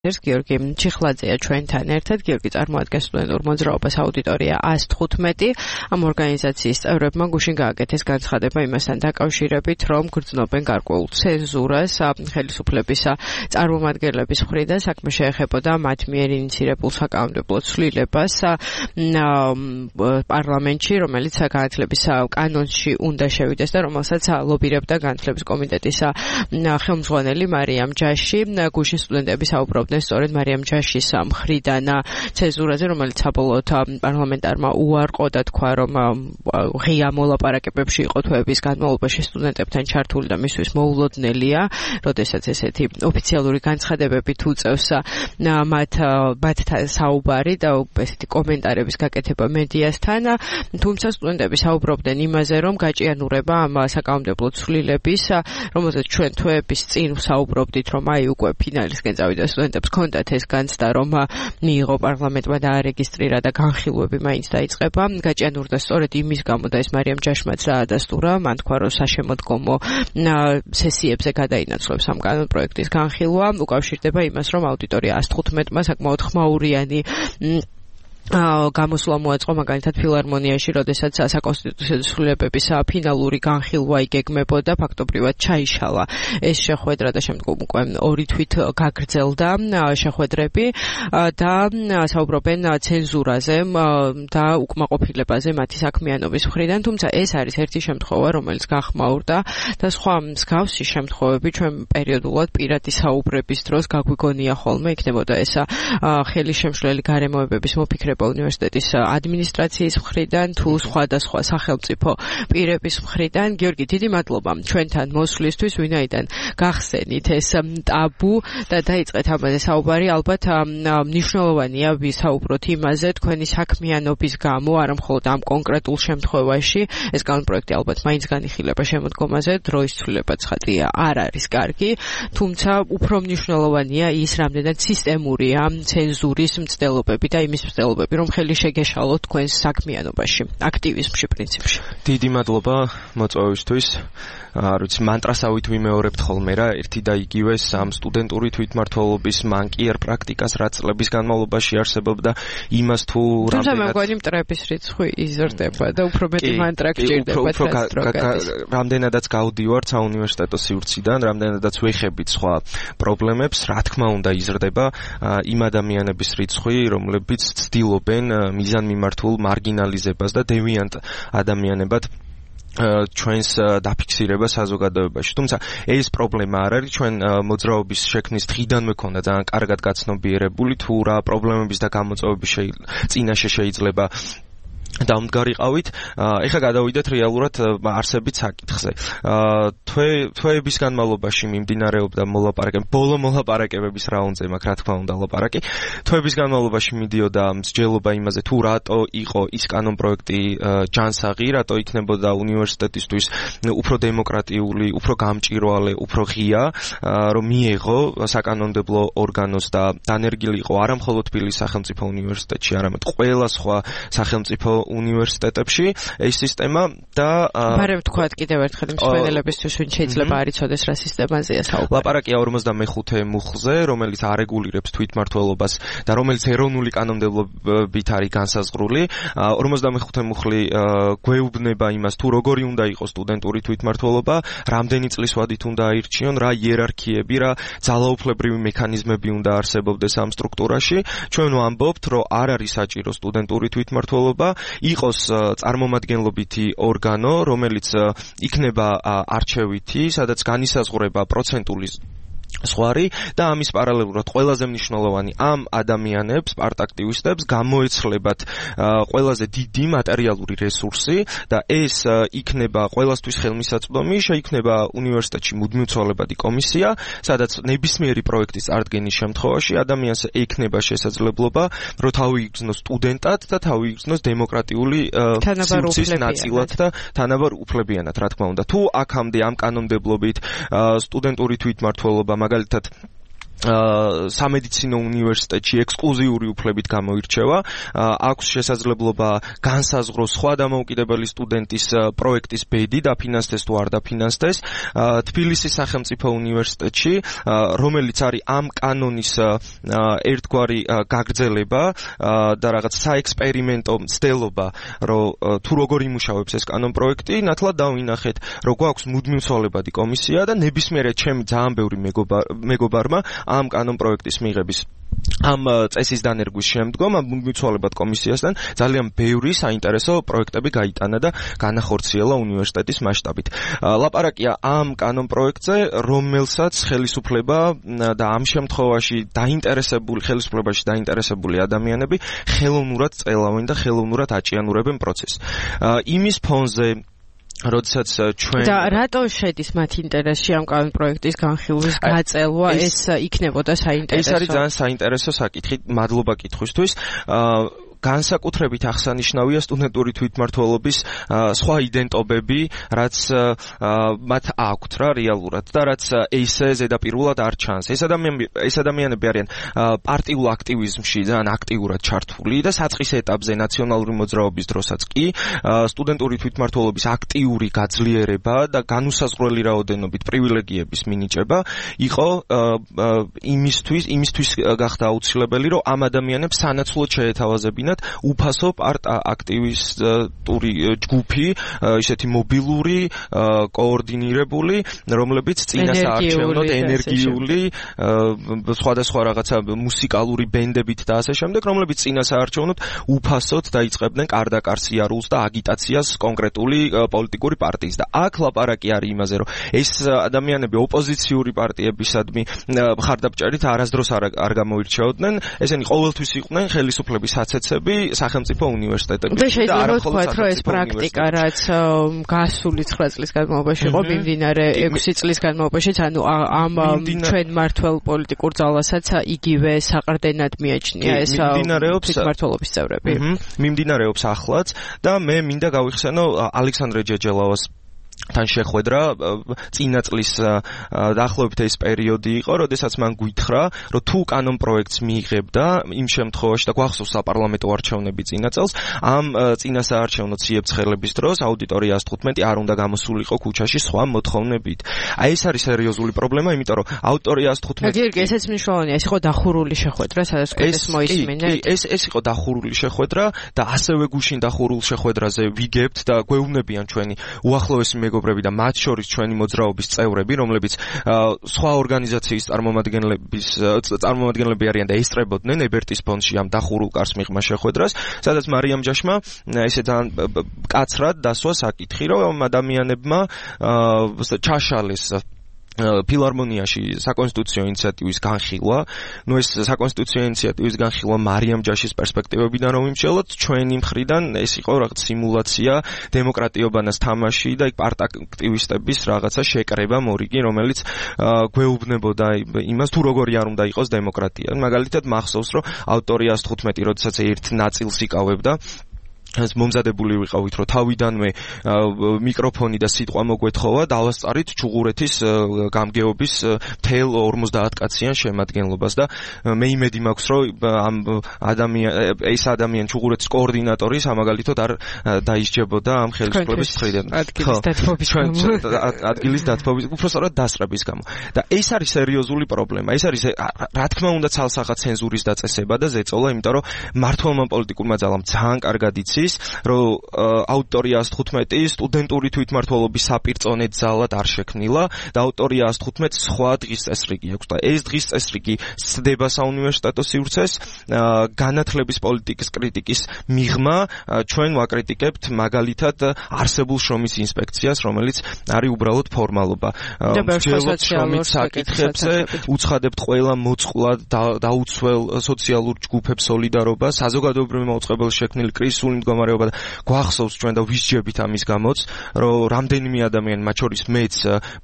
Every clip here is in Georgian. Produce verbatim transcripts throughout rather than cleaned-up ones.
ეს გიორგი ჩიხლაძეა ჩვენთან ერთად. გიორგი წარმოადგენს სტუდენტურ მოძრაობას აუდიტორია ას თხუთმეტი. ამ ორგანიზაციის წევრებმა გუშინ გააკეთეს განცხადება იმასთან დაკავშირებით, რომ გრძნობენ გარკვეულ ცენზურას ხელისუფლების წარმომადგენლების მხრიდან. საქმე შეეხებოდა მათ მიერ ინიცირებულ საკანონმდებლო ცვლილებას პარლამენტში, რომელიც განათლების კანონში უნდა შევიდეს და რომელსაც ლობირებდა განათლების კომიტეტის ხელმძღვანელი მარიამ ჯაში. გუშინ სტუდენტები საუბრობდნენ სწორედ მარიამ ჯაშის მხრიდან ცენზურაზე, რომელიც საბოლოოდ პარლამენტარმა უარყო და თქვა, რომ ღია მოლაპარაკებებში იყო თვეების განმავლობაში სტუდენტებთან ჩართული და მისთვის მოულოდნელია, როდესაც ესეთი ოფიციალური განცხადებები თუ წევს მათ მათთან საუბარი და ესეთი კომენტარების გაკეთება მედიასთან. თუმცა სტუდენტები საუბრობდნენ იმაზე, რომ გაჭიანურება ამ საკანონმდებლო ცვლილების, რომელზეც ჩვენ თვეების წინ საუბრობდით, რომ აი უკვე ფინალისკენ წავიდა სტუდენტებს ჰქონდათ ეს განცდა, რომ მიიღო პარლამენტმა და არეგისტრირა და განხილვები მაინც დაიწყება. გაჭიანურდა სწორედ იმის გამო და ეს მარიამ ჯაშმაც დაადასტურა. მან თქვა, რომ საშემოდგომო სესიებზე გადაინაცვლებს ამ კანონპროექტის განხილვა. უკავშირდება იმას, რომ აუდიტორია ას თხუთმეტმა საკმაოდ ხმაურიანი გამოსვლა მოაწყო მაგალითად ფილარმონიაში, როდესაც საკონსტიტუციო ცვლილებების ფინალური განხილვა იგეგმებოდა, ფაქტობრივად ჩაიშალა ეს შეხვედრა და შემდგომ უკვე ორი თვით გაგრძელდა შეხვედრები და საუბრობენ ცენზურაზე და უკმაყოფილებაზე მათი საქმიანობის მხრიდან. თუმცა ეს არის ერთი შემთხვევა, რომელიც გახმაურდა და სხვა მსგავსი შემთხვევები ჩვენ პერიოდულად პირადი საუბრების დროს გაგვიგონია ხოლმე, იქნებოდა ეს ხელისშემშლელი გარემოებების მოფიქრება უნივერსიტეტის ადმინისტრაციის მხრიდან თუ სხვადასხვა სახელმწიფო პირების მხრიდან. გიორგი, დიდი მადლობა ჩვენთან მოსვლისთვის, ვინაიდან გახსენით ეს ტაბუ და დაიწყეთ ამაზე საუბარი. ალბათ მნიშვნელოვანია ვისაუბროთ იმაზე თქვენი საქმიანობის გამო, არა მხოლოდ ამ კონკრეტულ შემთხვევაში. ეს კანონპროექტი ალბათ მაინც განიხილება შემოდგომაზე, დროის ცვლილება ცხადია არ არის კარგი, თუმცა უფრო მნიშვნელოვანია ის, რამდენად სისტემურია ცენზურის მცდელობები და იმის მცდელობები, რომ ხელი შეგეშალოთ თქვენს საქმიანობაში, აქტივიზმში პრინციპში. დიდი მადლობა მოწვევისთვის. არ ვიცი, მანტრასავით ვიმეორებთ ხოლმე რა, ერთი და იგივე სამ სტუდენტური თვითმმართველობის მანკიერ პრაქტიკას რაც წლების განმავლობაში არსებობდა, იმას თუ რამდენად თუმცა მე მგონი მტრების რიცხვი იზრდება და უფრო მეტი მანტრა გჭირდება დღეს. რამდენადაც გავდივართ საუნივერსიტეტო სივრციდან, რამდენადაც ვეხებით სხვა პრობლემებს, რა თქმა უნდა იზრდება იმ ადამიანების რიცხვი, რომლებიც ცდილობენ მიზანმიმართულ მარგინალიზებას და დევიანტ ადამიანებად ჩვენს დაფიქსირება საზოგადოებაში. თუმცა ეს პრობლემა არ არის, ჩვენ მოძრაობის შექმნის დღიდანვე ქონდა ძალიან კარგად გაცნობიერებული, თუ რა პრობლემების და გამოწვევების წინაშე შეიძლება დამდგარიყავით. ეხლა გადავიდეთ რეალურად არსებით საკითხზე. თვეების განმავლობაში მიმდინარეობდა მოლაპარაკებები, ბოლო მოლაპარაკებების რაუნდზე მაქვს რა თქმა უნდა ლაპარაკი. თვეების განმავლობაში მიდიოდა მსჯელობა იმაზე, თუ რატო იყო ის კანონპროექტი ჯანსაღი, რატო იქნებოდა უნივერსიტეტისთვის უფრო დემოკრატიული, უფრო გამჭვირვალე, უფრო ღია, რომ მიეღო საკანონმდებლო ორგანოს და დანერგილი იყო არა მხოლოდ თბილისის სახელმწიფო უნივერსიტეტში, არამედ ყველა სხვა სახელმწიფო უნივერსიტეტებში ეს სისტემა და მაგრამ თქვათ კიდევ ერთხელ მსმენელებისთვის ვინ შეიძლება არ იცოდეს რა სისტემაზეა საუბარი. ლაპარაკია ორმოცდამეხუთე მუხლზე, რომელიც არეგულირებს თვითმმართველობას და რომელიც ეროვნული კანონმდებლობით არის განსაზღვრული. ორმოცდამეხუთე მუხლი გვეუბნება იმას, თუ როგორი უნდა იყოს სტუდენტური თვითმმართველობა, რამდენი წლის ვადით უნდა აირჩიონ, რა იერარქიები, რა ძალაუფლებრივი მექანიზმები უნდა არსებობდეს ამ სტრუქტურაში. ჩვენ ვამბობთ, რომ არ არის საჭირო სტუდენტური თვითმმართველობა, იყოს წარმომადგენლობითი ორგანო, რომელიც იქნება არჩევითი, სადაც განისაზღვრება პროცენტული სხვარი და ამის პარალელურად ყველაზე მნიშვნელოვანი ამ ადამიანებს, პარტაქტივისტებს გამოეცლებათ ყველაზე დიდი მატერიალური რესურსი და ეს იქნება ყველასთვის ხელმისაწვდომი, შეიქმნება უნივერსიტეტში მუდმივცვალებადი კომისია, სადაც ნებისმიერი პროექტის წარდგენის შემთხვევაში ადამიანს ექნება შესაძლებლობა, რომ თავი იგრძნოს სტუდენტად და თავი იგრძნოს დემოკრატიული სივრცის ნაწილად და თანაბარ უფლებიანად, რა თქმა უნდა. თუ აქამდე ამ კანონმდებლობით სტუდენტური თვითმმართველობა მაგალითად სამედიცინო უნივერსიტეტში ექსკლუზიური უფლებით გამოირჩევა, აქვს შესაძლებლობა განსაზღვროს სხვა დამოუკიდებელი სტუდენტის პროექტის ბედი დაფინანსდეს თუ არ დაფინანსდეს. თბილისის სახელმწიფო უნივერსიტეტში, რომელიც არის ამ კანონის ერთგვარი გაგრძელება და რაღაც საექსპერიმენტო მცდელობა, რომ თუ როგორ იმუშავებს ეს კანონ პროექტი, ნათლად დავინახეთ, რომ გვაქვს მუდმივცვალებადი კომისია და ნებისმიერ ჩემი ძალიან ბევრი მეგობარმა ამ კანონ პროექტის მიღების ამ წესის დანერგვის შემდგომ ამ მუდმივცვალებად კომისიასთან ძალიან ბევრი საინტერესო პროექტები გაიტანა და განახორციელა უნივერსიტეტის მასშტაბით. ლაპარაკია ამ კანონ პროექტზე, რომელსაც ხელისუფლება და ამ შემთხვევაში დაინტერესებული ხელისუფლებაში დაინტერესებული ადამიანები ხელოვნურად წელავენ და ხელოვნურად აჭიანურებენ პროცესს. იმის ფონზე როდესაც ჩვენ და რატო შედის მათ ინტერესში ამ კანონ პროექტის განხილვის გაწელვა, ეს იქნებოდა საინტერესო. ეს არის ძალიან საინტერესო საკითხი, მადლობა კითხვისთვის. განსაკუთრებით აღსანიშნავია სტუდენტური თვითმმართველობის სხვა იდენტობები, რაც მათ აქვთ რა რეალურად და რაც ესე ზედაპირულად არ ჩანს. ეს ადამიანები ეს ადამიანები არიან პარტიულ აქტივიზმში ძალიან აქტიურად ჩართული და საწყის ეტაპზე ნაციონალური მოძრაობის დროსაც კი სტუდენტური თვითმმართველობის აქტიური გაძლიერება და განუსაზღვრელი რაოდენობით პრივილეგიების მინიჭება იყო იმისთვის იმისთვის გახდა აუცილებელი, რომ ამ ადამიანებს სანაცვლოდ შეეთავაზებინათ უფასო პარტ აქტივისტური ჯგუფი, ისეთი მობილური, კოორდინირებული, რომლებიც წინასაარჩევნოდ ენერგიული, სხვადასხვა რაღაცა მუსიკალური ბენდებით და ასე შემდეგ, რომლებიც წინასაარჩევნოდ უფასოდ დაიწყებდნენ კარდაკარ სიარულს და აგიტაციას კონკრეტული პოლიტიკური პარტიის და აქ ლაპარაკი არის იმაზე, რომ ეს ადამიანები ოპოზიციური პარტიებისადმი მხარდამჭერით არასდროს არ გამოირჩეოდნენ, ესენი ყოველთვის იყვნენ ხელისუფლების საცეცები სახელმწიფო უნივერსიტეტებში და არა მხოლოდ რომ ეს პრაქტიკა რაც გასული ცხრა წლის განმავლობაში იყო მიმდინარე ექვსი წლის განმავლობაშიც, ანუ ამ ჩვენ მართველ პოლიტიკურ ძალასაც იგივე საყრდენად მიაჩნია ეს თვითმმართველობის წევრები. მიმდინარეობს ახლაც და მე მინდა გავიხსენო ალექსანდრე ჯეჯელავას თან შეხვედრა წინა წლის დაახლოებით ეს პერიოდი იყო, როდესაც მან გითხრა, რომ თუ კანონ პროექტს მიიღებდა იმ შემთხვევაში და გვახსოვს საპარლამენტო არჩევნები წინა წელს, ამ წინასაარჩევნო ციებ-ცხელების დროს აუდიტორია ას თხუთმეტი არ უნდა გამოსულიყო ქუჩაში სხვა მოთხოვნებით. აი ეს არის სერიოზული პრობლემა, იმიტომ რომ აუდიტორია ას თხუთმეტი გიორგი, ესეც მნიშვნელოვანია, ეს იყო დახურული შეხვედრა, სადაც ეს მოისმინეთ. ეს ეს იყო დახურული შეხვედრა და ასევე გუშინ დახურულ შეხვედრაზე ვიგებთ და გვეუბნებიან ჩვენი უახლოესი მეგობრები და მათ შორის ჩვენი მოძრაობის წევრები, რომლებიც სხვა ორგანიზაციის წარმომადგენლების წარმომადგენლები არიან და ესწრებოდნენ ებერტის ფონდში ამ დახურულ კარს მიღმა შეხვედრას, სადაც მარიამ ჯაშმა ესე ძალიან კაცრად დასვა საკითხი, რომ ადამიანებმა ჩაშალეს ფილარმონიაში საკონსტიტუციო ინიციატივის განხილვა. ნუ ეს საკონსტიტუციო ინიციატივის განხილვა მარიამ ჯაშის პერსპექტივებიდან რომ იმშელოთ, ჩვენი მხრიდან ეს იყო რაღაც სიმულაცია, დემოკრატიობანას თამაში და იქ პარტ აქტივისტების რაღაცა შეკრება მორიგი, რომელიც გვეუბნებოდა იმას, თუ როგორი არ უნდა იყოს დემოკრატია. მაგალითად მახსოვს, რომ აუდიტორია ას თხუთმეტი როდესაც ერთ ნაწილს იკავებდა, ეს მომზადებული ვიყავით, რომ თავიდანვე მიკროფონი და სიტყვა მოგვეთხოვა, დავასწარით ჩუღურეთის გამგეობის მთელ ორმოცდაათ კაციან შემადგენლობას და მე იმედი მაქვს, რომ ამ ადამიან ეს ადამიანი ჩუღურეთის კოორდინატორი სამაგალითოდ არ დაისჯებოდა ამ ხელისუფლების მხრიდან. ადგილის დათბობის, უბრალოდ დასწრების გამო. და ეს არის სერიოზული პრობლემა. ეს არის რა თქმა უნდა ცალსახად ცენზურის დაწესება და ზეწოლა, იმიტომ რომ მართლმა პოლიტიკურმა ძალამ ძალიან კარგად იცის, რომ აუდიტორია ას თხუთმეტი სტუდენტური თვითმმართველობის საპირწონედ ძალად არ შექმნილა და აუდიტორია ას თხუთმეტი სხვა დღის წესრიგი აქვს და ეს დღის წესრიგი სცდება საუნივერსიტეტო სივრცეს, განათლების პოლიტიკის კრიტიკის მიღმა ჩვენ ვაკრიტიკებთ მაგალითად არსებულ შრომის ინსპექციას, რომელიც არის უბრალოდ ფორმალობა. მსჯელოთ შრომის საკითხებზე უცხადებთ ყველა მოწყვლად დაუცველ სოციალურ ჯგუფებს სოლიდარობას, საზოგადოებრივი მაუწყებელი შექმნილი კრიზისული მდგომარეობის მდგომარეობა და გვახსოვს ჩვენ და ვისჯებით ამის გამოც, რომ რამდენიმე ადამიანი, მათ შორის მეც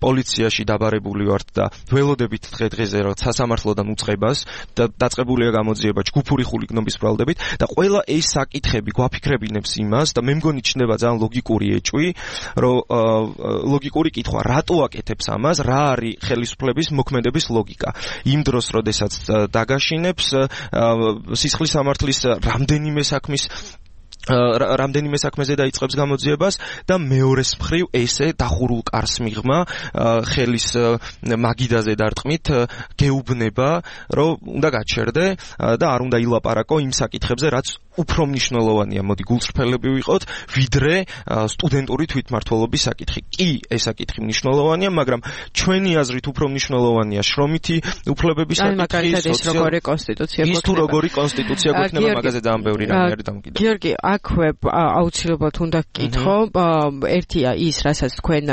პოლიციაში დაბარებული ვართ და ველოდებით დღე-დღეზე რა სასამართლოდან უწყებას და დაწყებულია გამოძიება ჯგუფური ხულიგნობის ბრალდებით და ყველა ეს საკითხები გვაფიქრებინებს იმას და მე მგონი ჩნდება ძალიან ლოგიკური ეჭვი, რომ ლოგიკური კითხვა, რატო აკეთებს ამას, რა არის ხელისუფლების მოქმედების ლოგიკა. იმ დროს, როდესაც დაგაშინებს სისხლის სამართლის რამდენიმე საქმის რამდენიმე საქმეზე დაიწყებს გამოძიებას და მეორეს მხრივ ესე დახურულ კარს მიღმა ხელის მაგიდაზე დარტყმით გეუბნება, რომ უნდა გაჩერდე და არ უნდა ილაპარაკო იმ საკითხებზე, რაც უფრო მნიშვნელოვანია, მოდი გულწრფელები ვიყოთ, ვიდრე სტუდენტური თვითმმართველობის საკითხი. კი, ეს საკითხი მნიშვნელოვანია, მაგრამ ჩვენი აზრით უფრო მნიშვნელოვანია შრომითი უფლებების საკითხი, ის როგორი კონსტიტუცია გვექნება. ის თუ როგორი კონსტიტუცია გვექნება, მაგაზე ძალიან ბევრი რამე არის დამოკიდებული. გიორგი, აქვე აუცილებლად უნდა გკითხო, ერთია ის, რასაც თქვენ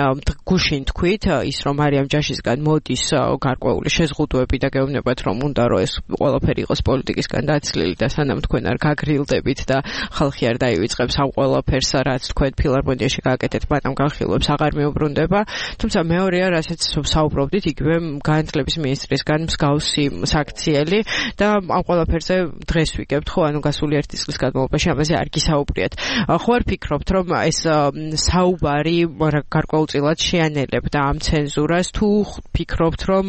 გუშინ თქვით, ის რომ მარიამ ჯაშისგან მოდის გარკვეული შეზღუდვები და გეუბნებათ, რომ უნდა რომ ეს ყველაფერი იყოს პოლიტიკისგან დაცლილი და სანამ თქვენ არ გაგრილდებით და ხალხი არ დაივიწყებს ამ ყველაფერს, რაც თქვენ ფილარმონიაში გააკეთეთ, მათამ განხილვებს აღარ მეუბრუნდება. თუმცა მეორეა, რასაც საუბრობდით, იგივე განათლების მინისტრისგან მსგავსი საქციელი და ამ ყველაფერზე დღეს ვიგებთ, ხო, ანუ გასული ერთი წლის განმავლობაში ამაზე არ გისაუბრიათ. ხო არ ფიქრობთ, რომ ეს საუბარი გარკვეულწილად შეანელებდა ამ ცენზურას, თუ ფიქრობთ, რომ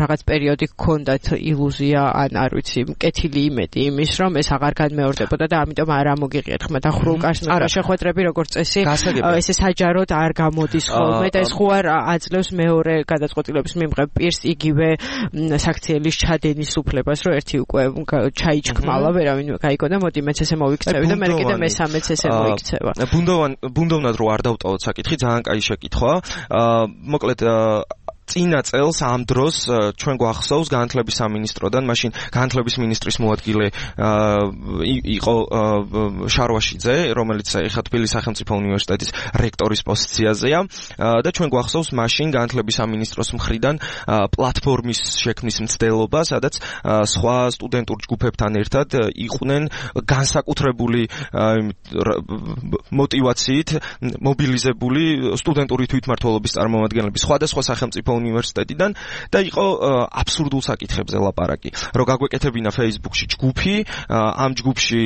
რაღაც პერიოდი გქონდათ iluzia ან არ ვიცი, მკეთილი იმედი იმის, რომ ეს აღარ განმეორდებოდა და ამიტომ არ ამოგიღიათ ხმა დახურულ კარს შეხვედრები როგორც წესი, ესე საჯაროდ არ გამოდის ხოლმე და ეს ხო არ აძლევს მეორე გადაწყვეტილების მიმღებ პირს იგივე საქციელის ჩადენის უფლებას, რომ ერთი უკვე ჩაიჩქმალა, ვერავინ გაიგო და მოდი მეც ესე მოვიქცევი და მე კიდე მესამეც ესე მოიქცევა. ბუნდოვან ბუნდოვნად რო არ დავტოვოთ საკითხი, ძალიან კაი შეკითხვა. მოკლედ წინა წელს ამ დროს ჩვენ გვახსოვს განათლების სამინისტროდან, მაშინ განათლების მინისტრის მოადგილე იყო შარვაშიძე, რომელიც ეხლა თბილისის სახელმწიფო უნივერსიტეტის რექტორის პოზიციაზეა და ჩვენ გვახსოვს მაშინ განათლების სამინისტროს მხრიდან პლატფორმის შექმნის მცდელობა, სადაც სხვა სტუდენტურ ჯგუფებთან ერთად იყვნენ განსაკუთრებული მოტივაციით მობილიზებული სტუდენტური თვითმმართველობის წარმომადგენლები სხვადასხვა სახელმწიფო უნივერსიტეტიდან და იყო აბსურდულ საკითხებზე ლაპარაკი. რომ გაგვეკეთებინა Facebook-ში ჯგუფი, ამ ჯგუფში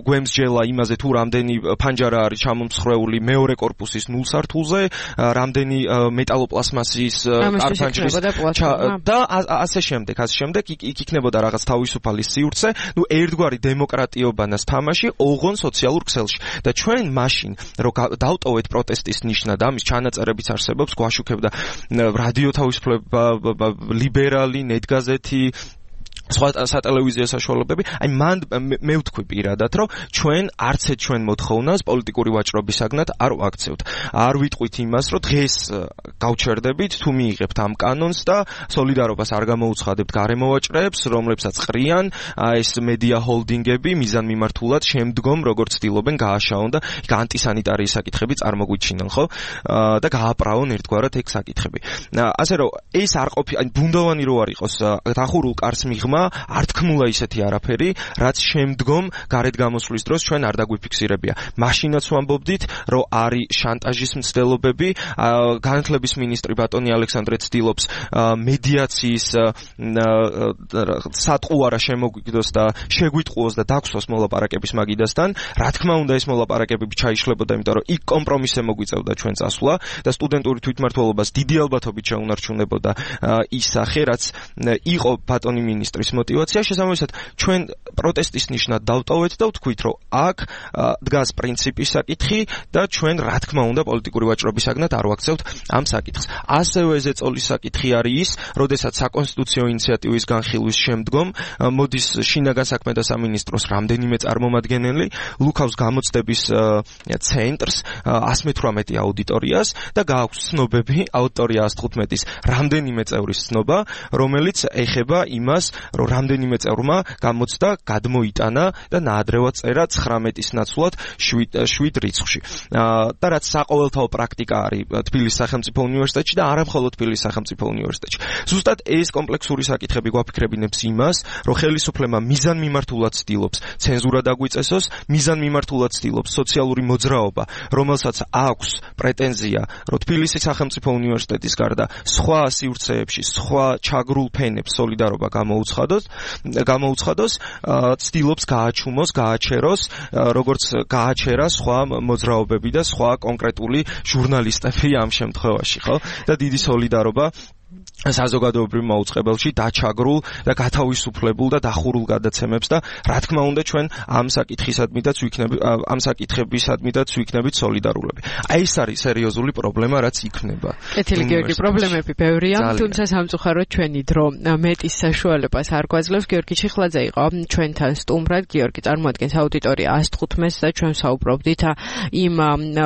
გვემსჯელა იმაზე თუ რამდენი ფანჯარა არის ჩამომსხვრეული მეორე კორპუსის ნულ სართულზე, რამდენი მეტალოპლასმასის არფანჯრის და ასე შემდეგ, ასე შემდეგ იქ იქნებოდა რაღაც თავისუფალი სივრცე, ნუ ერთგვარი დემოკრატიობანას თამაში ოღონ სოციალურ ქსელში. და ჩვენ მაშინ რომ დავტოვეთ პროტესტის ნიშნად, ამის ჩანაწერებიც არსებობს, გვაშუქებდა რადიო თავისუფლება, ლიბერალი, ნეტგაზეთი, სხვა სატელევიზიო საშუალებები. აი მან მე ვთქვი პირადად, რომ ჩვენ არც ერთ ჩვენ მოთხოვნას პოლიტიკური ვაჭრობისაგნად არ ვაქცევთ. არ ვიტყვით იმას, რომ დღეს გავჩერდებით, თუ მიიღებთ ამ კანონს და სოლიდარობას არ გამოუცხადებთ გარემოვაჭრეებს, რომლებსაც ყრიან ეს მედია ჰოლდინგები მიზანმიმართულად შემდგომ როგორც ცდილობენ გააშაონ და ანტისანიტარიის საკითხები წარმოგვიჩინონ, ხო? და გააპრაონ ერთგვარად ეგ საკითხები. ასე რომ ეს არ ყოფი, აი ბუნდოვანი რო არ იყოს დახურულ კარს მიღმა, არ თქმულა ისეთი არაფერი, რაც შემდგომ გარეთ გამოსვლის დროს ჩვენ არ დაგვიფიქსირებია. მაშინაც ვამბობდით, რომ არის შანტაჟის მცდელობები, განათლების მინისტრი ბატონი ალექსანდრე ცდილობს მედიაციის სატყუარა შემოგვიგდოს და შეგვიტყუოს და დაგსვას მოლაპარაკების მაგიდასთან. რა თქმა უნდა, ეს მოლაპარაკებები ჩაიშლებოდა, იმიტომ რომ იქ კომპრომისზე მოგვიწევდა ჩვენ წასვლა და სტუდენტური თვითმმართველობას დიდი ალბათობით შეუნარჩუნებოდა ის სახე, რაც იყო ბატონი მინისტრის მოტივაცია. შესაბამისად, ჩვენ პროტესტის ნიშნად დავტოვეთ და ვთქვით, რომ აქ დგას პრინციპის საკითხი და ჩვენ რა თქმა უნდა პოლიტიკური ვაჭრობისაგნად არ ვაქცევთ ამ საკითხს. ასევე ზეწოლის საკითხი არის ის, როდესაც საკონსტიტუციო ინიციატივის განხილვის შემდგომ მოდის შინაგან საქმეთა სამინისტროს რამდენიმე წარმომადგენელი, ლუქავს გამოცდების ცენტრს ას მეთვრამეტე აუდიტორიას და გააქვს ცნობები, აუდიტორია ას თხუთმეტის რამდენიმე წევრის ცნობა, რომელიც ეხება იმას, რომ რამდენიმე წევრმა გამოცდა, გადმოიტანა და ნაადრევად წერა ცხრამეტის ნაცვლად შვიდ რიცხვში. და რაც საყოველთაო პრაქტიკა არის თბილისის სახელმწიფო უნივერსიტეტში და არა მხოლოდ თბილისის სახელმწიფო უნივერსიტეტში. ზუსტად ეს კომპლექსური საკითხები გვაფიქრებინებს იმას, რომ ხელისუფლება მიზანმიმართულად ცდილობს ცენზურა დაგვიწესოს, მიზანმიმართულად ცდილობს სოციალური მოძრაობა, რომელსაც აქვს პრეტენზია, რომ თბილისის სახელმწიფო უნივერსიტეტის გარდა სხვა სივრცეებში, სხვა ჩაგრულ ფენებს სოლიდარობა გამოუცხადოს, გამოუცხადოს, ცდილობს გააჩუმოს, გააჩეროს, როგორც გააჩერა სხვა მოძრაობები და სხვა კონკრეტული ჟურნალისტები ამ შემთხვევაში, ხო? და დიდი სოლიდარობა საზოგადოებრივ მოუწყებელში დაჩაგრულ და გათავისუფლებულ და დახურულ გადაცემებს და რა თქმა უნდა ჩვენ ამ საკითხისადმიდაც ვიქნებით ამ საკითხებისადმიდაც ვიქნებით სოლიდარულები. აი ეს არის სერიოზული პრობლემა, რაც იქნება. კეთილი გიორგი, პრობლემები ბევრია, თუმცა სამწუხაროდ ჩვენი დრო მეტის საშუალებას არ გვაძლევს. გიორგი ჩიხლაძე იყო ჩვენთან სტუმრად. გიორგი წარმოადგენს აუდიტორია ას თხუთმეტს და ჩვენ საუბრობდით იმ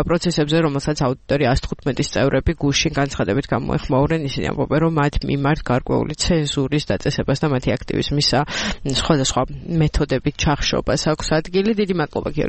პროცესებზე, რომელსაც აუდიტორია ას თხუთმეტის წევრები გუშინ განცხადებით გამოეხმაურნენ. ისინი ამბობენ, რომ მათ მიმართ გარკვეული ცენზურის დაწესებას და მათი აქტივიზმის სხვადასხვა მეთოდებით ჩახშობას აქვს ადგილი. დიდი მადლობა გიორგი.